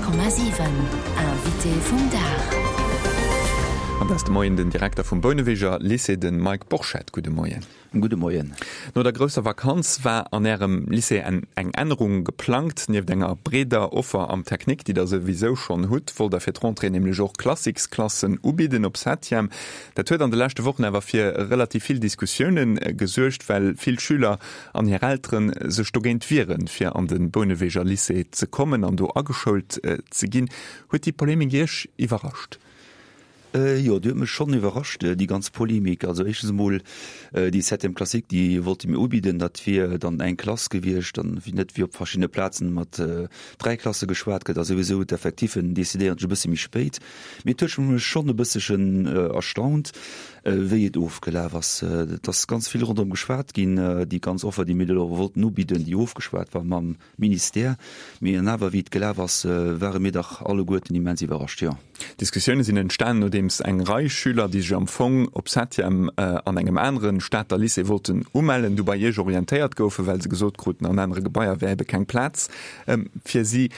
100,7 Invité vum Dag. An dat ass de Moien den Direkter vum Bouneweger Lycée, de Mike Borchert. Gudde Moien. Gudde Moien. No der grousser Vakanz war an Ärem Lycée eng Ännerung geplangt. Nieft enger breeder Offer am Technique, déi Der souwisou schonn hutt, wollt Der fir d'Rentrée nämlech och Classiques-Klassen ubidden op Septième. Dat huet an de leschte Wochen awer fir relativ vill Diskussioune gesuergt, well vill Schüler an hir Eltere sech dogéint wieren, fir an de Bouneweger Lycée ze kommen an do ageschoult ze ginn. Huet déi Polemik Iech iwwerrascht? Jo, déi huet mech schonn iwwerrascht, déi ganz Polemik. Also éischtens emol déi Septième classique, déi wollte mir ubidden, dat wier dann eng Klass gewiescht, dann net wéi op verschiddene Plazen mat dräi Klasse geschwat gëtt a souwisou d'Effectiffen decidéieren sech e bësse méi spéit. Mee et huet mech schonn e bësselchen erstaunt, wéi et ofgelaf ass. Et ass ganz vill ronderëm geschwat ginn, déi ganz Offer, déi mir elo wollten ubidden, déi ofgeschwat war mam Ministère. Mee an awer, wéi et gelaf ass, ware mir dach alleguerten immens iwwerrascht, jo. D'Diskussioune sinn entstanen, nodeems eng Rei Schüler, déi sech am Fong op Septième an engem anere Stater Lycée wollten umellen, du bei Iech orientéiert goufen, well se gesot kruten, an anere Gebaier wär ebe keng Plaz fir si.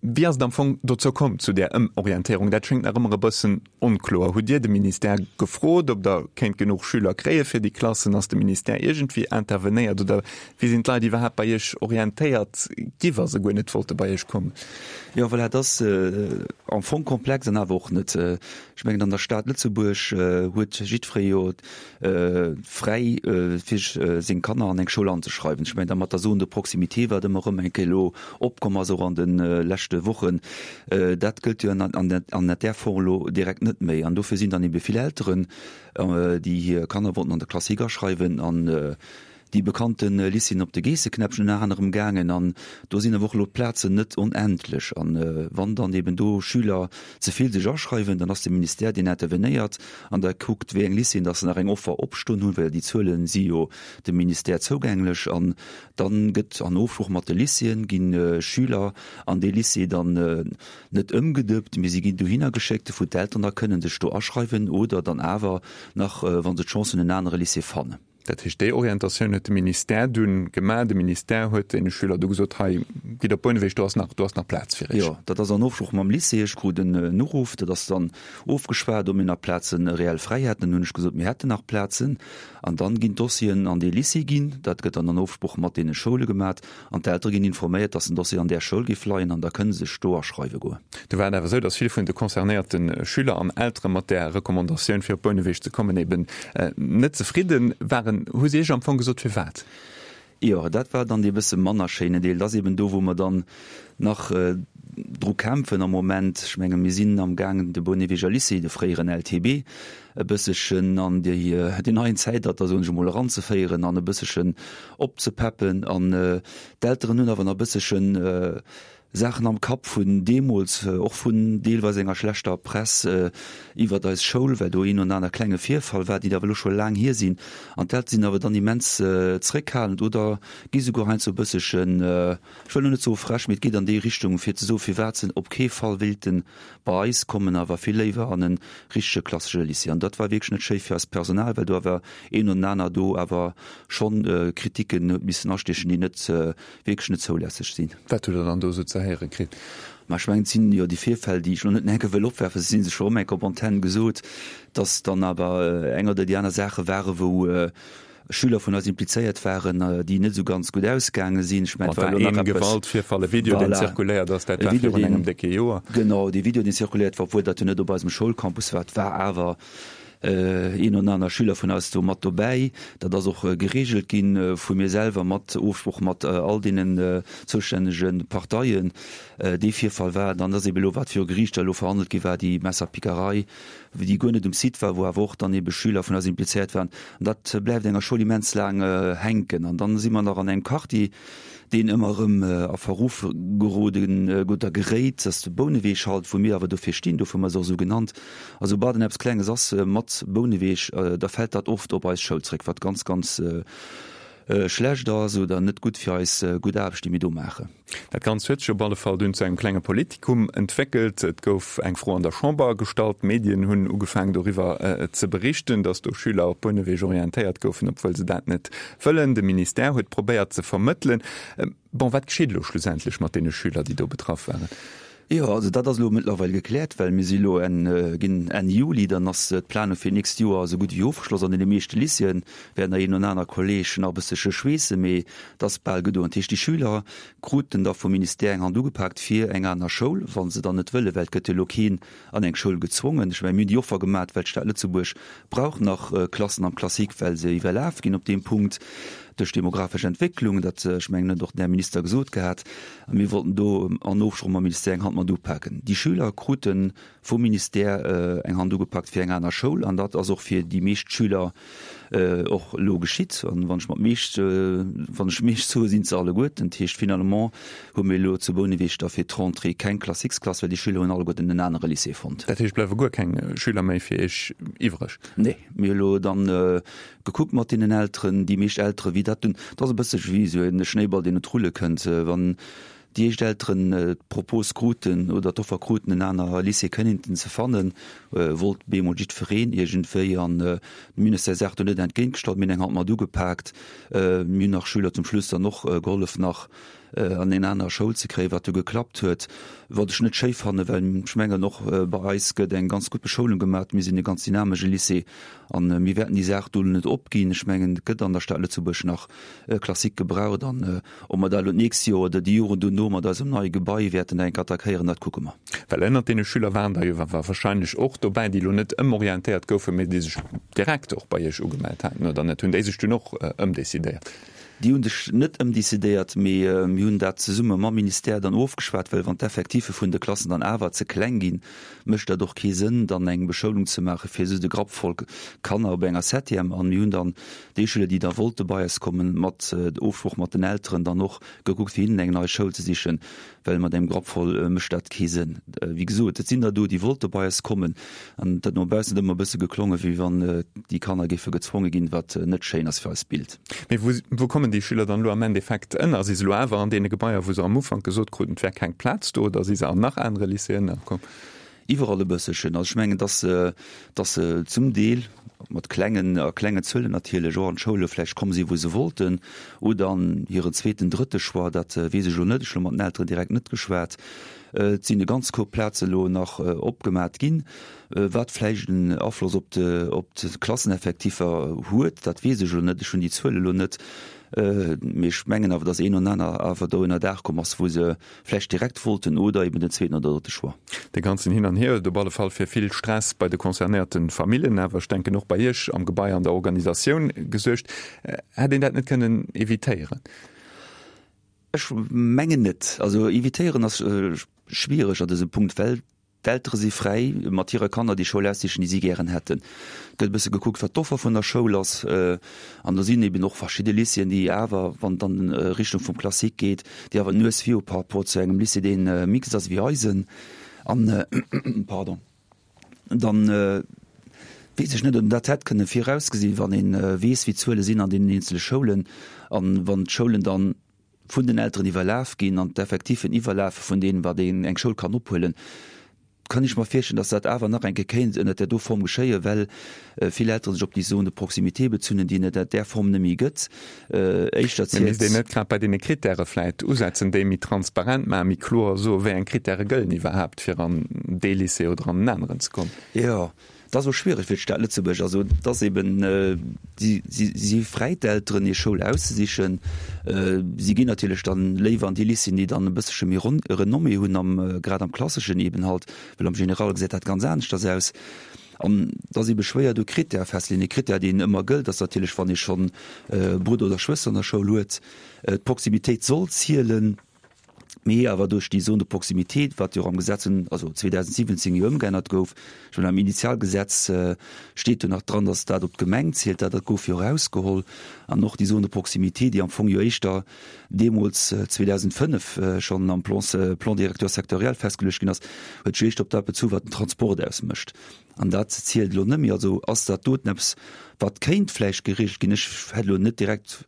Wéi ass et am Fong dozou komm, zu där Ëmorientéierung? Dat schéngt nach ëmmer e bëssen onkloer. Hutt Dir de Ministère gefrot, ob Der kéint genuch Schüler kréie fir déi Klassen? Ass de Ministère iergendwéi intervenéiert oder wéi sinn d'Leit iwwerhaapt bei Iech orientéiert gi wa se guer net wollte bei Iech kommen? Jo, voilà, et ass am Fong komplex an awer och net. Ech mengen, an der Stad Lëtzebuerg huet jiddweree jo fräi fir seng Kanner an eng Schoul anzeschreiwen. Ech mengen da mat der Zone de proximité, wat ëmmer erëm eng Kéier elo opkomm ass, och an de leschte Wochen, dat gëllt jo an där Form elo direkt net méi. An dofir sinn dann ebe vill Elteren, déi hir Kanner wollten an de Classique aschreiwen, an déi bekannte Lycéeën op de Geesseknäppchen ënner anerem gaangen an do sinn awer och elo d'Plazen net onendlech. An wann dann eben do Schüler ze vill sech aschreiwen, dann ass de Ministère deen intervenéiert an da kuckt wéi eng Lycéeën dass se nach eng Offer opstoen hunn, well déi Zuele si jo dem Ministère zougänglech an dann gëtt an Ofsprooch mat de Lycéeën gi Schüler an dee Lycée dann net ëmgedëppt, mee si ginn dohinner geschéckt, wou d'Elteren da kënnen sech do aschreiwen oder dann awer nach, wa se d'Chance hunn, en anere Lycée fannen. Dat heescht, déi Orientatioun huet de Ministère dunn gemaach. De Ministère huet deene Schüler du gesot, hei, gitt op Bouneweg, do ass nach, do ass nach Plaz fir iech. Jo, dat ass an Ofsprooch mam Lycée. Ech krut en Uruff, dat ass dann ofgeschwat, ob mir nach Plaze reell fräi hätten. Dann hunn ech gesot, mir hätten nach Plazen. An dann ginn d'Dossieren an dee Lycée ginn. Dat gëtt dann an Ofsprooch mat deene Schoule gemaat. An d'Eltere ginn informéiert, dass den Dossier an där Schoul géif leien an da kënne se sech do aschreiwe goen. Do war et awer esou, dass vill vun de concernéierte Schüler an Eltere mat där Recommandatioun, fir op Bouneweg ze kommen, eben net zefridde waren. Hu si Iech am Fong gesot, firwat? Jo, dat war dann dee bësse manner schéinen Deel. Dat ass eben do, wou mer dann nach dru kämpfen am Moment. Ech menge mir sinn am gaangen, de Bouneweger Lycée, de fréieren LTB, e bësselchen an déi deen neien Zäitalter, soen ech emol, eranzeféieren an e bësselchen opzepeppen. An d'Elteren hunn awer nach e bësselchen Saachen am Kapp vun deemools, och vun deelweis enger schlechter Press iwwert eis Schoul, well do een oder aner klenge Virfall war, déi awer elo scho laang hier sinn. An d'Eltere sinn awer dann immens zréckhalend oder gi souguer heiansdo e bësselchen, ech wëll elo net soe frech, mee et geet an déi Richtung, fir ze soe firwat se op kee Fall wéilten bei eis kommen, awer vill léiwer an e richtege klassesche Lycée. An dat war wierklech net schéi fir eist Personal, well do awer een oder aner do awer schonn Kritiken huet missen astiechen, déi net wierklech net zoulässeg sinn. Wat hutt Der dann do esou ze héiere kritt? Ma ech mengen, et sinn jo déi Virfäll, déi ech elo net enke wëll opwerfen, se si sech scho erëm enke op Antenn gesot, dass dann awer eng oder déi aner Saache ware wou Schüler vun eis implizéiert waren, déi net esou ganz gutt ausgaange sinn. Ech mengen, et war elo nach eppes. Gewaltvirfall, e Video, deen zirkuléiert ass, dat war virun engem décke Joer. Genau, dee Video, deen zirkuléiert war, obwuel dat jo net op eisem Schoulcampus war, et war awer een oder aner Schüler vun eis do mat dobäi. Dat ass och gereegelt gi vu mir selwer mat Ofsprooch mat all deenen zoustännege Parteien. Dee Virfall war, dann ass eebe elo, wat viru Geriichter elo verhandelt gi war, déi Messerpickerei, déi guer net um Site war, wou awer och dann ebe Schüler vun eis implizéiert waren. An dat bleift enger Schoul immens laang hänken. An dann si mer nach an engem Quartier, deen ëmmer erëm a Verruf geroden oder geréit, dat ass de Bouneweg halt, wou mir awer dofir stinn, dofir hu mer se och esou genannt. A soubal dann eppes Klenges ass mat Bouneweg, da fält dat oft op eis Schoul zréck, wat ganz, ganz schlecht ass oder net gutt fir eis gutt Aarbecht, déi mir do maachen. Dat Ganzt huet sech op alle Fall dunn zu engem klenge Politikum entwéckelt. Et gouf eng Fro an der Chamber gestallt, d'Medien hunn ugefaangen doriwwer ze berichten, datt do Schüler op Bouneweg orientéiert goufen, obwuel se dat net wëllen. De Ministère huet probéiert ze vermëttelen. Bon, wat geschitt elo schlussendlech mat deene Schüler, déi do betraff waren? Jo, also dat ass elo mëttlerweil gekläert, well mir si elo Enn, ginn Enn Juli, dann ass d'Planung fir d'nächst Joer esou gutt wéi ofgeschloss. An deene meeschte Lycéeë wäerten nach een oder aner Kolleg nach e bëssche schweessen, mee et ass bal gedoen. Dat heescht, déi Schüler kruten da vum Ministère eng Hand ugepaakt fir eng aner Schoul, wa se dann net wëllen, well et gëtt jo elo keen an eng Schoul gezwongen. Ech mengen, mir hunn déi Offer gemat, well d'Stad Lëtzebuerg brauch nach Klassen am Classique, well se iwwerlaf ginn op deem Punkt duerch d'demografesch Entwécklung. Dat, ech mengen, huet och den Här Minister gesot gehat. A mir wollten do an Ofsproch mam Ministère eng Hand mat upaken. Déi Schüler krute vum Ministère eng Hand ugepakt fir eng aner Schoul. An dat ass och fir déi meescht Schüler och elo geschitt. An wann ech mat meescht, wann ech meescht soe sinn se alleguerten. Dat heescht, finalement hu mir elo zu Bouneweg da fir d'Rentrée keng Classiquesklass, well déi Schüler hunn alleguerten en anere Lycée fonnt. Dat heescht, bleiwe guer keng Schüler méi fir Iech iwwreg? Nee, mir hu elo dann gekuckt mat deenen Elteren, déi meescht Eltere wéi dat dunn, dat ass e bëssche wéi esou e Schnéiball, deen un d'Rulle kënnt. Wann déi éischt Elteren d'Propos kruten oder d'Offer kruten, en aner Lycée kënnten ze fannen, wollt bemol jiddwereen iergendwéi. An de Ministère Saach do net entgéintgestallt, mir hunn eng Hand mat ugepaakt. Mir hunn nach Schüler zum Schluss dann och gehollef nach an eng aner Schoul ze kréien, wat du geklappt huet, wat ech net schéi fannen, well ech mengen och bei eis gëtt eng ganz gutt Beschoulung gemaat. Mir sinn e ganz dynamesche Lycée an mir wäerten déi Saach do net opginn. Ech mengen et gëtt an der Stad Lëtzebuerg nach Classique gebraucht an ob mer dat elo d'nächst Joer oder déi Joren dono mat eisem neie Gebai wäerten enk attackéieren, dat kucke mer. Well ënnert deene Schüler waren der jo wahrscheinlech och dobäi, déi elo net ëmorientéiert goufen, mee déi sech direkt och bei Iech ugemellt haten, oder net? Hunn déi sech dunn och ëmdecidéiert? Déi hu sech net ëmdecidéiert, mee mir hunn dat zesumme mam Ministère dann ofgeschwat, well wann d'Effectiffe vun de Klassen dann awer ze kleng ginn, mécht dat och kee Sënn, dann eng Beschoulung ze maache fir just e Grapp voll Kanner op enger Septième. An mir hunn dann déi Schüler, déi da wollte bei eis kommen, mat Ofsprooch mat den Elteren dann och gekuckt, fir hinnen eng nei Schoul ze sichen, well mat engem Grapp voll mécht dat kee Sënn. Wéi gesot, et sinn der do, déi wollte bei eis kommen an et huet no baussen ëmmer e bësse geklongen, wéi wann déi Kanner géife gezwonge ginn, wat net schéin ass fir eist Bild. Mee wou, wou kommen déi Schüler dann elo am Endeffekt ënner? Si se elo awer an deene Gebaier, wou se am Ufank gesot kruten, et wär keng Plaz do, oder si se an nach anere Lycéeën ënnerkomm? Iwwerall e bësselchen. Also ech mengen, dass se, dass se zum Deel mat klengen, a klengen Zuelen natierlech, och an d'Schoule vläicht komm sinn, wou se wollten, oder an hiren zweeten, drëtte Choix, dat weess ech elo net, ech hu elo mat den Elteren direkt net geschwat. Et sinn e ganz Koup Plaze elo nach opgemat ginn. Wat vläicht en Afloss op de, op d'Klasseneffektiffer huet, dat weess ech elo net, ech hunn déi Zuele elo net. Mee ech mengen awer, datt een an aner awer do ënnerdaach komm ass, wou se vläicht direkt wollten oder eben den zweeten oder drëtte Choix. Dee ganzen Hin an Hier huet op alle Fall fir vill Stress bei de concernéierte Famillen, awer ech denken och bei Iech am Gebai an der Organisatioun gesuergt. Hätt een dat net kënnen evitéieren? Ech mengen net. Also evitéieren ass schwiereg an dësem Punkt, well D'Eltere si fräi, mat hire Kanner déi Schoul aussichen, déi si gären hätten. Et gëtt e bësse gekuckt, wat d'Offer vun der Schoul ass. An do sinn eben och verschidde Lycéeën, déi awer, wann et an Richtung vum Classique geet, déi awer d'Nues vir hu par rapport zu engem Lycée, dee mixte ass wéi eisen. An, pardon, dann weess ech net, ob een dat hätt kënne virausgesinn, wann ee weess, wéi d'Zuele sinn an deenen eenzele Schoulen an wann d'Schoulen dann, vun den Elteren iwwerlaf ginn an d'Effektiffen iwwerlafe vun deem, wat een eng Schoul kann ophuelen, kann ech mer virstellen, dass dat awer nach eng Kéier kéint ënnert där do Form geschéien, well vill Elteren sech op déi Zone de proximité bezunn, déi et ënnert där Form net méi gëtt. Éischter Mee misst een net grad bei deene Krittäre vläit usetzen, déi méi transparent maachen, méi kloer soen, wéi eng Krittäre gëllen iwwerhaapt, fir an dee Lycée oder an en aneren ze kommen? Jo. Et ass och schwiereg fir d'Stad Lëtzebuerg. Also et ass eben, si si fräi d'Elteren hir Schoul auszesichen. Si ginn natierlech dann léiwer an déi Lycéeën, déi dann e bëssche méi Renommée hunn am grad am Klasseschen eben halt, well am General gesäit dat ganz aneschters aus. An et ass ebe schwéier do Critèrë festzeleeën. E Critère deen ëmmer gëllt ass natierlech, wann ee schonn e Brudder oder Schwëster an der Schoul huet, d'Proximitéit soll zielen. Mee awer duerch déi Zone de proximité, wat jo och am Gesetz, also 2017 jo ëmgeännert gouf, ech mengen am Initialgesetz steet jo nach dran, datt dat op d'Gemeng zielt, dat dat gouf jo erausgeholl. An och déi Zone de proximité, déi am Fong jo éischter deemools 2005 schonn am Plan, Plan directeur sectoriel festgeluecht ginn ass, huet sech éischter op dat bezu wat den Transport ausmécht. An dat zielt elo net méi. Also ass dat doten eppes, wat kéint vläicht geregelt ginn. Ech hätt elo net direkt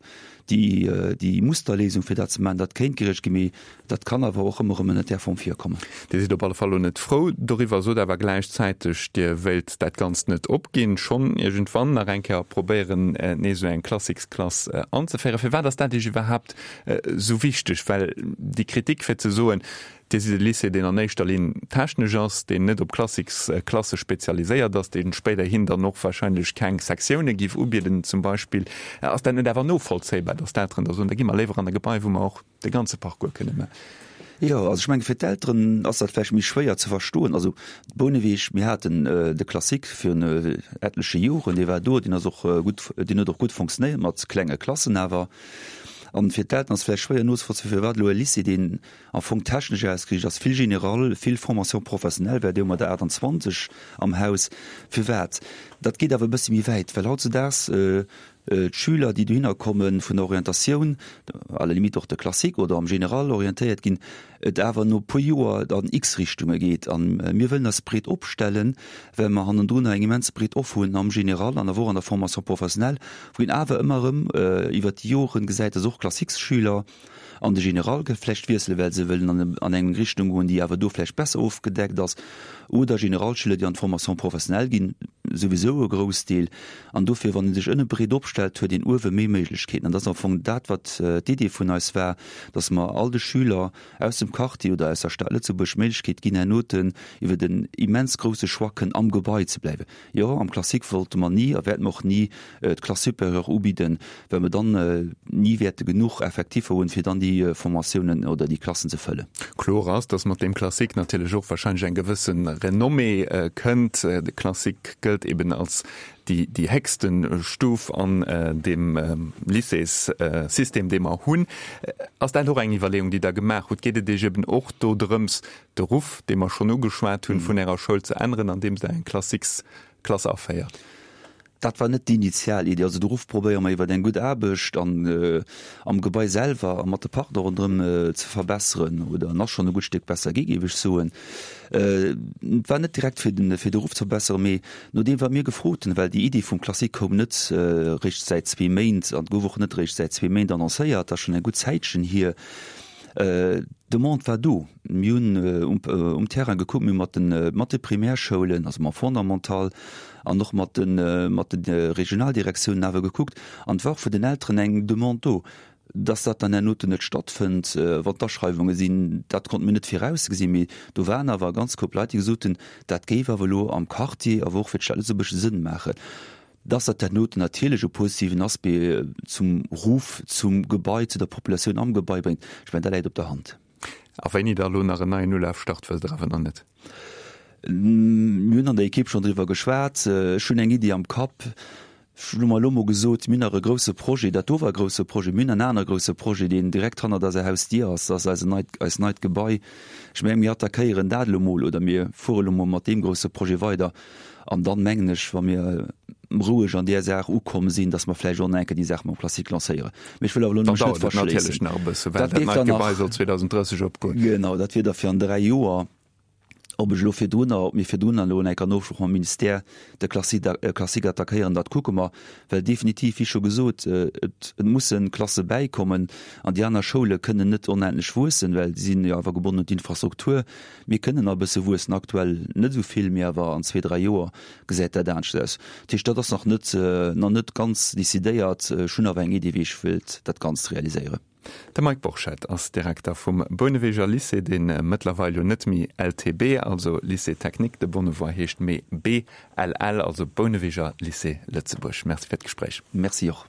déi, déi Musterléisung, fir dat ze maachen. Dat kéint geregelt ginn, mee dat kann awer och ëmmer erëm ënnert där Form virkommen. Dir sidd op alle Fall elo net frou doriwwer, sot awer gläichzäiteg, Dir wéilt dat Ganzt net opginn, schonn iergendwann nach eng Kéier probéieren, nees esou eng Classicsklass anzeféieren. Firwat ass dat Iech iwwerhaapt esou wichteg? Well déi Kritik, fir ze soen,. Dir sidd e Lycée, deen an éischter Linn technesch ass, deen net op Classiques-Klasse spezialiséiert ass, dee spéiderhin dann och wahrscheinlech keng Sektioune giff ubieden zum Beispill. Ass dat net awer novollzéibar, datt d'Elteren da soen, da gi mer léiwer an e Gebai, wou mer och de ganze Parcours kënne maachen? Jo, also ech menge fir d'Elteren ass dat vläicht méi schwéier ze verstoen. Also Bouneweg, mir haten de Classique virun etleche Joren, dee war do, deen ass och gutt, deen huet och gutt fonctionnéiert mat klenge Klassen awer. An fir d'Elteren ass vläicht schwéier nozevollzéien, firwat elo e Lycée, deen am Fong technesch ausgeriicht ass, vill Général, vill Formation professionnelle, well déi hu mer der 28 am Haus. Firwat? Dat geet awer e bëssi méi wäit, well hautzudaags d'Schüler, déi dohinner komme vun der Orientatioun, à la limite och de Classique oder am Général orientéiert ginn, et awer no e puer Joer an x Richtunge geet. A mir wëllen eis breet opstellen, well mer hannendrunner eng immens breet Offer hunn am Général an awer och an der Formation professionnelle, wou een awer ëmmer erëm iwwert déi Joren gesäit, dass och Classiquesschüler, an de General vläicht wiesselen, well se wëllen an eng Richtung goen, déi awer do vläicht besser ofgedeckt ass, oder Generalschüler, déi an d'Formation professionnelle ginn, souwisou e Groussdeel. An dofir, wann ee sech ënne breet opstellt, huet een uewe méi Méiglechkeeten. An dat ass am Fong dat, wat d'Idee vun eis war, dass mer all de Schüler aus dem Quartier oder aus der Stad Lëtzebuerg d'Méiglechkeet ginn, hernoten iwwer en immens grousse Choix kënnen am Gebai ze bleiwen. Jo, am Classique wollte mer ni a wäerte mer och ni d'Classe supérieure ubidden, well mer dann ni wäerte genuch Effektiffer hunn, fir dann déi Formatiounen oder déi Klassen ze fëllen. Kloer ass, dass mat deem Classique natierlech och wahrscheinlech eng gewësse Renommée kënnt. De Classique gëllt eben als déi déi héchste Stuf an deem Lycéessystem, dee mer hunn. Ass dat och eng Iwwerleeung, déi Der gemaach hutt? Geet et Iech eben och do drëms, de Ruff, dee mer schonn ugeschwat hunn, vun Ärer Schoul ze änneren, andeems Der eng Classiques-Klass aféiert? Dat war net déi initial Iddi. Also de Ruff probéiere mer iwwer eng gutt Aarbecht an am Gebai selwer a mat de Partner ronderëm ze verbesseren, oder en ass schonn e gutt Stéck besser gi, géif ech soen. Et war net direkt fir den fir de Ruff ze verbesseren, mee nodeem wat mir gefrot hunn, well déi Iddi vum Classique koum net réischt säit zwee Méint an gouf och net réischt säit zwee Méint annoncéiert, dat ass schonn eng gutt Zäitchen hier. D'Demande war do. Mir hunn um Terrain gekuckt, mir hu mat de mat de Primärschoulen, also mam Fondamental an och mat de mat de Regionaldirektiounen awer gekuckt an et war och vun den Elteren eng Demande do. Dass dat dann hernoten net stattfënnt, wann d'Aschreiwunge sinn, dat konnte mir net virausgesinn, mee do waren awer e ganz Koup Leit, déi gesot hunn, dat géif awer elo am Quartier, awer och fir d'Stad Lëtzebuerg Sënn maachen. Dass dat hernoten natierlech e positiven Aspect zum Ruff, zum Gebai, zu der Populatioun am Gebai bréngt, ech mengen, dat läit op der Hand. A wéini da elo nach en neien Ulaf start, wësst Der awer nach net? Mir hunn an der Ekipp schonn driwwer geschwat. Ech hunn eng Iddi am Kapp. Ech hunn mer elo mol gesot, mir hunn nach e grousse Projet, dat do war e grousse Projet, mir hunn en anere grousse Projet, deen direkt hannert eiser Hausdier ass, dat ass eise neit, eist neit Gebai. Ech mengen, mir attackéieren dat elo mol oder mir fuere elo mol mat deem grousse Projet weider. An dann, mengen ech, wa mir roueg an där Saach ukomm sinn, dass mer vläicht och nach eng Kéier déi Saach mam Classique lancéieren. Mee ech wëll awer elo mech net verschléissen. Nach e bësse, well dat neit Gebai soll 2030 opgoen. Genau, dat wier da fir an 3 Joer. Ob ech elo virdrunner, ob mir virdrunner elo eng Kéier an Ofsprooch mam Ministère de Classique attackéieren, dat kucke mer. Well definitiv, wéi scho gesot, et musse Klasse bäikommen an déi aner Schoule kënnen net onendlech wuessen, well si sinn jo awer gebonnen un d'Infrastruktur. Mir kënnen nach e bësse wuessen, aktuell net esou vill, mee awer an zwee, dräi Joer gesäit dat anescht aus. Dat heescht, dat ass nach net, nach net ganz decidéiert. Ech hunn awer eng Idee, wéi ech wëilt dat Ganzt realiséieren. De Mike Borchert ass Direkter vum Bouneweger Lycée, dee mëttlerweil jo net méi LTB, also Lycée Technique de Bonnevoie heescht, mee BLL, also Bouneweger Lycée Lëtzebuerg. Merci fir d'Gespréich. Merci och.